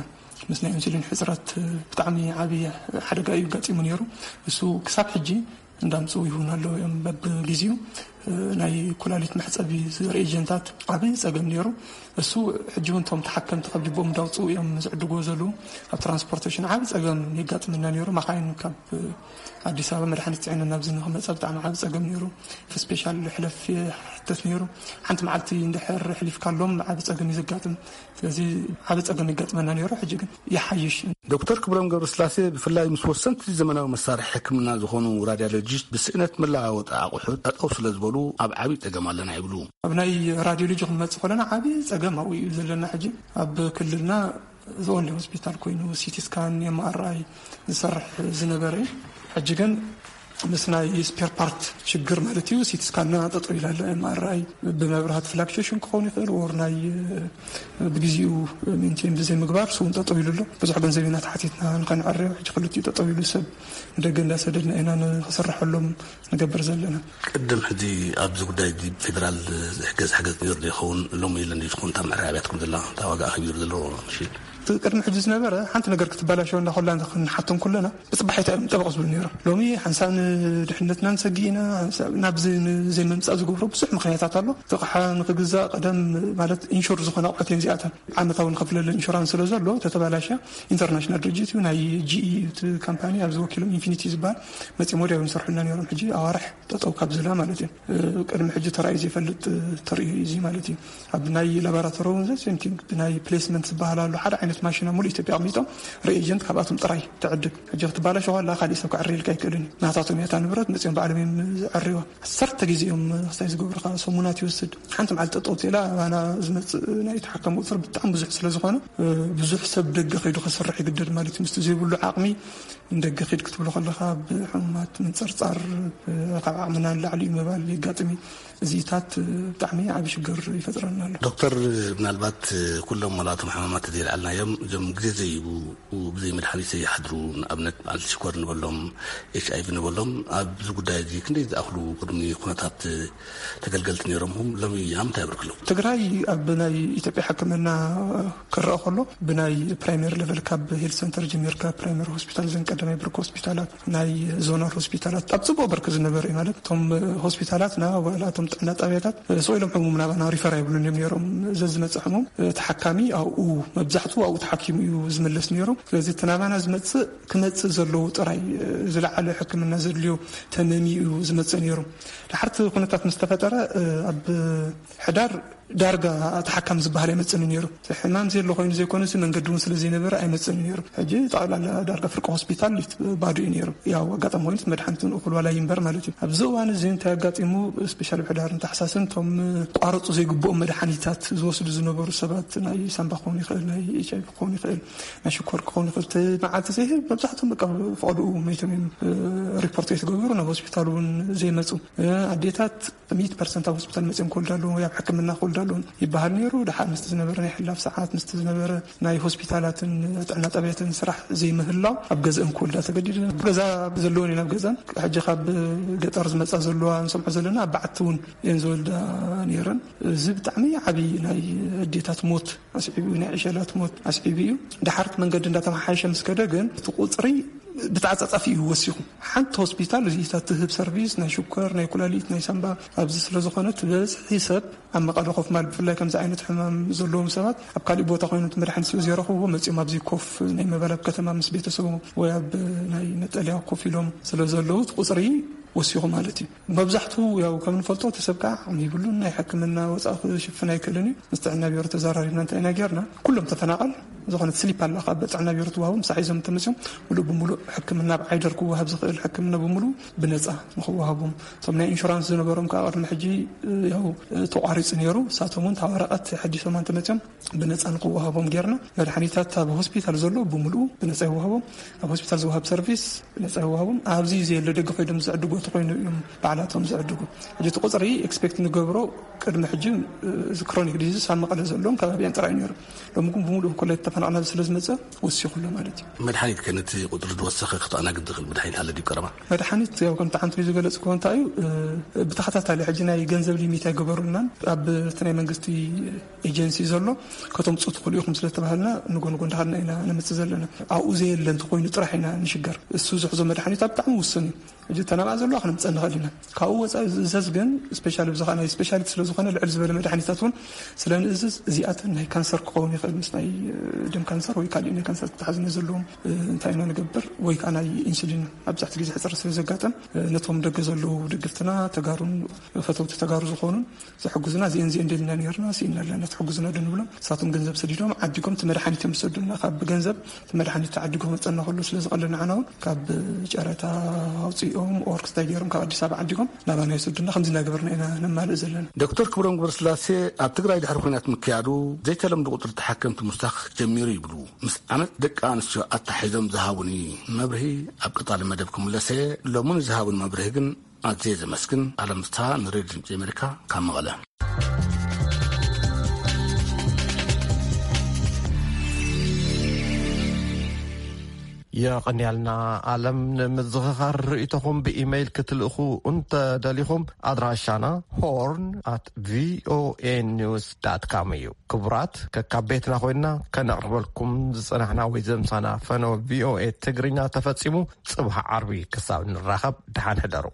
ምስ ናይ ኢንሱሊን ሕፅረት ብጣዕሚ ዓብዪ ሓደጋ እዩ ኣጋጢሙ ነይሩ። እሱ ክሳብ ሕጂ እንዳምፅኡ ይህቡና ኣለዉ እዮም። በብግዜኡ ናይ ኩላሊት መሕፀቢ ሪኤጀንታት ዓብዪ ፀገም ነይሩ። እሱ ሕጂ እውን እቶም ተሓከምቲ ካብ ጅቦም እንዳውፅኡ እዮም ዝዕድግዎ ዘለዉ። ኣብ ትራንስፖርቴሽን ዓብዪ ፀገም የጋጥመና ነይሩ። መኻይን ካብ ኣዲስ ኣበባ መድሓኒት ፅዒነን ናብዚ ንክመፃ ብጣዕሚ ዓብዪ ፀገም ነይሩ። ስፔሻል ሕለፍ ይሕተት ነይሩ። ሓንቲ መዓልቲ እንድሕር ሕሊፍካሎም ዓብዪ ፀገም እዩ ዘጋጥም። ስለዚ ዓቢ ጸገም ይገጥመና ነይሩ፣ ሕጂ ግን ይሓይሽ። ዶክተር ክብሮም ገብረስላሴ ብፍላይ ምስ ወሰንቲ ዘመናዊ መሳርሒ ሕክምና ዝኾኑ ራድያሎጂስት ብስእነት መለዋወጢ ኣቑሑት ጠጠው ስለ ዝበሉ ኣብ ዓቢ ጸገም ኣለና ይብሉ። ኣብ ናይ ራድዮሎጂ ክንመጽእ ከለና ዓቢ ጸገም ኣብኡ እዩ ዘለና። ሕጂ ኣብ ክልልና ዘወንሊ ሆስፒታል ኮይኑ ሲቲ ስካን፣ ኤምኣርኣይ ዝሰርሕ ዝነበረ እዩ። ሕጂ ግን ምስ ናይ ስፔር ፓርት ሽግር ማለት እዩ። ሲቲ ስካንና ጠጠው ኢላ ኣላ። ኤምኣርኣይ ብመብራህቲ ፍላክቹዌሽን ክኸውን ይኽእል፣ ወር ናይ ብግዜኡ ሜንቴን ብዘይምግባር እሱ እውን ጠጠው ኢሉ ኣሎ። ብዙሕ ገንዘብ ኢና ተሓቲትና ንኸነዕርዮ፣ ሕጂ ክልቲኡ ጠጠው ኢሉ ሰብ ንደገ እንዳሰደድና ኢና ንኽስርሐሎም ንገብር ዘለና። ቅድም ሕዚ ኣብዚ ጉዳይ እዚ ፌደራል ዝሕገዝ ሓገዝ ነይሩ ዶ ይኸውን? ሎሚ የለን ድዩ ዝኸውን? እታ መዕረይ ኣብያትኩም ዘላ እታ ዋጋ ኣኸቢሩ ዘሎ ሽል እቲ ቅድሚ ሕጂ ዝነበረ ሓንቲ ነገር ክትበላሸወ እንዳኸላ ክንሓቶም ከለና ብፅባሒታ እዮም ጠበቕ ዝብሉ ነይሮም። ሎሚ ሓንሳብ ንድሕነትና ንሰጊ ኢና፣ ሓንሳብ ናብዚ ዘይምምፃእ ዝገብሮ ብዙሕ ምክንያታት ኣሎ። ተቕሓ ንክግዛእ ቀደም ማለት ኢንሹር ዝኾነ ኣቑሑት እዮም እዚኣተን። ዓመታዊ ንኸፍለለን ኢንሹራንስ ስለ ዘሎ ተተባላሸ ኢንተርናሽናል ድርጅት እዩ፣ ናይ ጂ ኢ እዩ እቲ ካምፓኒ፣ ኣብዚ ወኪሎም ኢንፊኒቲ ዝበሃል መፂኦም ወዲያው ይሰርሑልና ነይሮም። ሕጂ ኣዋርሕ ጠጠው ካብ ዝላ ማለት እዩ። ቅድሚ ሕጂ ተራእዩ ዘይፈልጥ ተርእዩ እዩ እዚ ማለት እዩ። ኣብ ናይ ላቦራቶሪ እውን ዘ ሴም ቲንግ ብናይ ፕሌስመንት ዝበሃል ኣሎ። ሓደ ዓይነት ማሽን ኣብ ሙሉእ ኢትዮጵያ ኣቕሚጦም ሪኤጀንት ካብኣቶም ጥራይ ትዕድግ። ሕጂ ክትባላሸ ከላ ካሊእ ሰብ ክዕርየልካ ኣይክእልን እዩ። ናታቶም እያ እታ ንብረት፣ መፂኦም ባዕሎም እዮም ዝዕርይዋ። ዓሰርተ ግዜ እዮም ክስታይ ዝገብሩኻ፣ ሰሙናት ይወስድ። ሓንቲ መዓልቲ ጠጠው ተላ ኣባና ዝመፅእ ናይ ተሓካሚ ቁፅሪ ብጣዕሚ ብዙሕ ስለ ዝኾነ ብዙሕ ሰብ ደገ ከይዱ ክሰርሕ ይግደድ ማለት እዩ። ምስቲ ዘይብሉ ዓቕሚ ንደገ ኺድ ክትብሎ ከለኻ ብሕሙማት ምንፅርፃር፣ ካብ ዓቕምና ንላዕሊ እዩ ምባል የጋጥም እዩ። እዚታት ብጣዕሚ ዓቢ ሽግር ይፈጥረና ኣሎ። ዶክተር፣ ምናልባት ኩሎም ዋላ እቶም ሕማማት ዘይልዓልናዮም እዞም ግዜ ዘይቡ ብዘይ መድሓኒት ዘይሓድሩ፣ ንኣብነት በዓል ሽኮር ንበሎም፣ ኤች ኣይ ቪ ንበሎም፣ ኣብዚ ጉዳይ እዚ ክንደይ ዝኣኽሉ ቅድሚ ኩነታት ተገልገልቲ ነይሮም፣ ሎም ኣብ ምንታይ ብርክ ኣለዉ? ትግራይ ኣብ ናይ ኢትዮጵያ ሕክምና ክረኣ ከሎ ብናይ ፕራይመሪ ሌቨል ካብ ሄልት ሰንተር ጀሚርካ ፕራይመሪ ሆስፒታል፣ ዘን ቀዳማይ ብርክ ሆስፒታላት፣ ናይ ዞናል ሆስፒታላት ኣብ ጽቡቕ ብርክ ዝነበረ እዩ። ማለት እቶም ሆስፒታላትና ዋላ እቶም ጥዕና ጣብያታት ስቕ ኢሎም ሕሙም ናባና ሪፈር ኣይብሉን እዮም ነይሮም። ዘዝመጽእ ሕሙም ተሓካሚ ኣብኡ መብዛሕትኡ ኣብኡ ተሓኪሙ እዩ ዝምለስ ነይሩ። ስለዚ እቲ ናባና ዝመጽእ ክመጽእ ዘለዎ ጥራይ ዝለዓለ ሕክምና ዘድልዮ ተመሚ እዩ ዝመጽእ ነይሩ። ድሓርቲ ኩነታት ምስ ተፈጠረ ኣብ ሕዳር ዳርጋ ተሓካሚ ዝበሃል ኣይመጽእን ነይሩ። ሕማም ዘየሎ ኮይኑ ዘይኮነሲ መንገዲ እውን ስለ ዘይነበረ ኣይመጽእን ነይሩ። ሕጂ ጠቕላላ ዳርጋ ፍርቂ ሆስፒታል ባዶ እዩ ነይሩ። ያው ኣጋጣሚ ኮይኑ መድሓኒት እውን እኹል ዋላ ይንበር ማለት እዩ። ኣብዚ እዋን እዚ እንታይ ኣጋጢሙ፣ ስፔሻል ኣብ ሕዳርን ታሕሳስን እቶም ቋረፁ ዘይግብኦም መድሓኒታት ዝወስዱ ዝነበሩ ሰባት፣ ናይ ሳምባ ክኸውን ይኽእል፣ ናይ ኤች ኣይ ቪ ክኸውን ይኽእል፣ ናይ ሽኮር ክኸውን ይኽእል፣ እቲ መዓልቲ ዘይህብ መብዛሕትኦም በቃ ፈቐድኡ መይቶም እዮም ሪፖርት ዘይተገብሩ፣ ናብ ሆስፒታል እውን ዘይመፁ። ኣዴታት ሚእቲ ፐርሰንት ኣብ ሆስፒታል መፅኦም ክወልዳ ኣለዎ ወይ ኣብ ሕክምና ክወልዳ ኣለዎ ይበሃል ነይሩ። ድሓር ምስቲ ዝነበረ ናይ ሕላፍ ሰዓት፣ ምስቲ ዝነበረ ናይ ሆስፒታላትን ጥዕና ጣብያትን ስራሕ ዘይምህላው ኣብ ገዝአን ክወልዳ ተገዲደን። ኣብ ገዛ ዘለወን እየን ኣብ ገዛን። ሕጂ ካብ ገጠር ዝመፃ ዘለዋ ንሰምዖ ዘለና ኣብ በዓቲ እውን እየን ዝወልዳ ነይረን። እዚ ብጣዕሚ ዓብዪ ናይ ኣዴታት ሞት ኣስዒቡ እዩ፣ ናይ ዕሸላት ሞት ኣስዒቡ እዩ። ድሓርቲ መንገዲ እንዳተመሓየሸ ምስ ከደ ግን እቲ ቁፅሪ ብተዓጻጻፊ እዩ ወሲኹ። ሓንቲ ሆስፒታል እዚኢታት ትህብ ሰርቪስ ናይ ሽኮር፣ ናይ ኩላሊት፣ ናይ ሳምባ ኣብዚ ስለ ዝኾነት ብዝሒ ሰብ ኣብ መቐለ ኮፍ ማል ብፍላይ ከምዚ ዓይነት ሕማም ዘለዎም ሰባት ኣብ ካሊእ ቦታ ኮይኖም እቲ መድሓኒት ስለ ዘይረኽብዎ መፂኦም ኣብዚ ኮፍ ናይ ምባል ኣብ ከተማ ምስ ቤተሰቦም ወይ ኣብ ናይ መጠለያ ኮፍ ኢሎም ስለ ዘለዉ እቲ ቁፅሪ ወሲኹ ማለት እዩ። መብዛሕትኡ ያው ከም ንፈልጦ እቲ ሰብ ከዓ ዓቕሚ ይብሉን ናይ ሕክምና ወፃኢ ክሽፍን ኣይክእልን እዩ። ምስ ጥዕና ቢሮ ተዘራሪብና እንታይ ኢና ጌርና፣ ኩሎም ተፈናቐል ዝኾነት ስሊፕ ኣላ ካብ ጥዕና ቢሮ ትወሃቦም፣ ምሳሕ ሒዞም እንተመፅኦም ሙሉእ ብሙሉእ ሕክምና ኣብ ዓይደር ክወሃብ ዝኽእል ሕክምና ብምሉእ ብነፃ ንኽወሃቦም፣ እቶም ናይ ኢንሹራንስ ዝነበሮም ከዓ ቅድሚ ሕጂ ያው ተቋሪፁ ነይሩ። ንሳቶም እውን እታ ወረቐት ሓዲሶም እንተመፅኦም ብነፃ ንኽወሃቦም ጌርና። መድሓኒታት ኣብ ሆስፒታል ዘሎ ብምሉኡ ብነፃ ይወሃቦም። ኣብ ሆስፒታል ዝወሃብ ሰርቪስ ብነፃ ይወሃቦም። ኣብዚ ዘየለ ደገ ኮይዶም ዝዕድጉ ተኮይኑ እዮም ባዕላቶም ዝዕድጉ። ሕጂ እቲ ቁፅሪ ኤክስፔክት ንገብሮ ቅድሚ ሕጂ እዚ ክሮኒክ ዲዚዝ ኣብ መቐለ ዘለዎም ከባቢያን ጥራይ ነይሩ። ሎሚ ግን ብምሉእ ኮላይ ተፈናቕና ስለ ዝመፀ ወሲኹ ኣሎ ማለት እዩ። መድሓኒት ከ ነቲ ቁፅሪ ዝወሰኸ ክተኣናግድ ዝኽእል መድሓኒት ኣሎ ድዩ ቀረባ? መድሓኒት ያው ከምቲ ሓንቲ ዝገለፅክዎ እንታይ እዩ፣ ብተኸታታሊ ሕጂ ናይ ገንዘብ ሊሚት ኣይገበሩልናን። ኣብ እቲ ናይ መንግስቲ ኤጀንሲ ዘሎ ከተምፅኡ ትኽእሉ ኢኹም ስለ ተባሃልና ንጎንጎ እንዳሃልና ኢና ነምፅእ ዘለና። ኣብኡ ዘየለ እንተኮይኑ ጥራሕ ኢና ንሽገር። እሱ ዝሕዞ መድሓኒት ኣብ ብጣዕሚ ውሱን እዩ። ሕጂ ተናብኣ ዘለዋ ክነምፀእ ንኽእል ኢና። ካብኡ ወፃኢ ዝእዘዝ ግን ስፔሻል ብዝኻ ናይ ስፔሻሊቲ ስለ ዝኾነ ልዕል ዝበለ መድሓኒታት እውን ስለ ንእዝዝ እዚኣተን ናይ ካንሰር ክኸውን ይኽእል፣ ምስ ናይ ደም ካንሰር ወይ ካሊእ ናይ ካንሰር ተተሓዝነት ዘለዎም እንታይ ኢና ንገብር፣ ወይ ከዓ ናይ ኢንሱሊን ኣብዛሕቲ ግዜ ሕፅረት ስለ ዘጋጠም ነቶም ደገ ዘለዉ ደገፍትና ተጋሩን ፈተውቲ ተጋሩ ዝኾኑን ዝሕግዙና እዚአን እዚአን ደሊና ነርና ስኢና ኣለና ትሕግዙና ዶ ንብሎም። ንሳቶም ገንዘብ ሰዲዶም ዓዲጎም እቲ መድሓኒት እዮም ዝሰዱና። ካብ ገንዘብ እቲ መድሓኒት ተዓዲጎ መፀና ከሎ ስለ ዝቐለና ዓና እውን ካብ ጨረታ ኣውፅኦም ኦር ክስታይ ገይሮም ካብ ኣዲስ ኣበባ ዓዲጎም ናባና ይሰዱና። ከምዚ እናገበርና ኢና ነማልእ ዘለና። ዶክተር ክብሮም ገብረስላሴ ኣብ ትግራይ ድሕሪ ኩናት ምክያዱ ዘይተለምዶ ቁፅሪ ተሓከምቲ ምስታኽ ጀሚሩ ይብሉ። ምስ ዓመት ደቂ ኣንስትዮ ኣታሒዞም ዝሃቡኒ መብርሂ ኣብ ቀፃሊ መደብ ክምለሰ ሎሚ ንዝሃቡኒ መብርሂ ግን ኣዝየ ዘመስግን። ኣለም ፍስሃ ንሬድዮ ድምፂ ኣሜሪካ ካብ መቐለ። የቐንያልና። ኣለም፣ ንምዝኽኻር ርእይቶኹም ብኢመይል ክትልእኹ እንተደሊኹም፣ ኣድራሻና ሆርን ኣት ቪኦኤ ኒውስ ዳት ካም እዩ። ክቡራት፣ ከካብ ቤትና ኮይንና ከነቕርበልኩም ዝጸናሕና ወይ ዘምሳና ፈነወ ቪኦኤ ትግርኛ ተፈጺሙ። ጽባሕ ዓርቢ ክሳብ ንራኸብ፣ ደሓን ሕደሩ።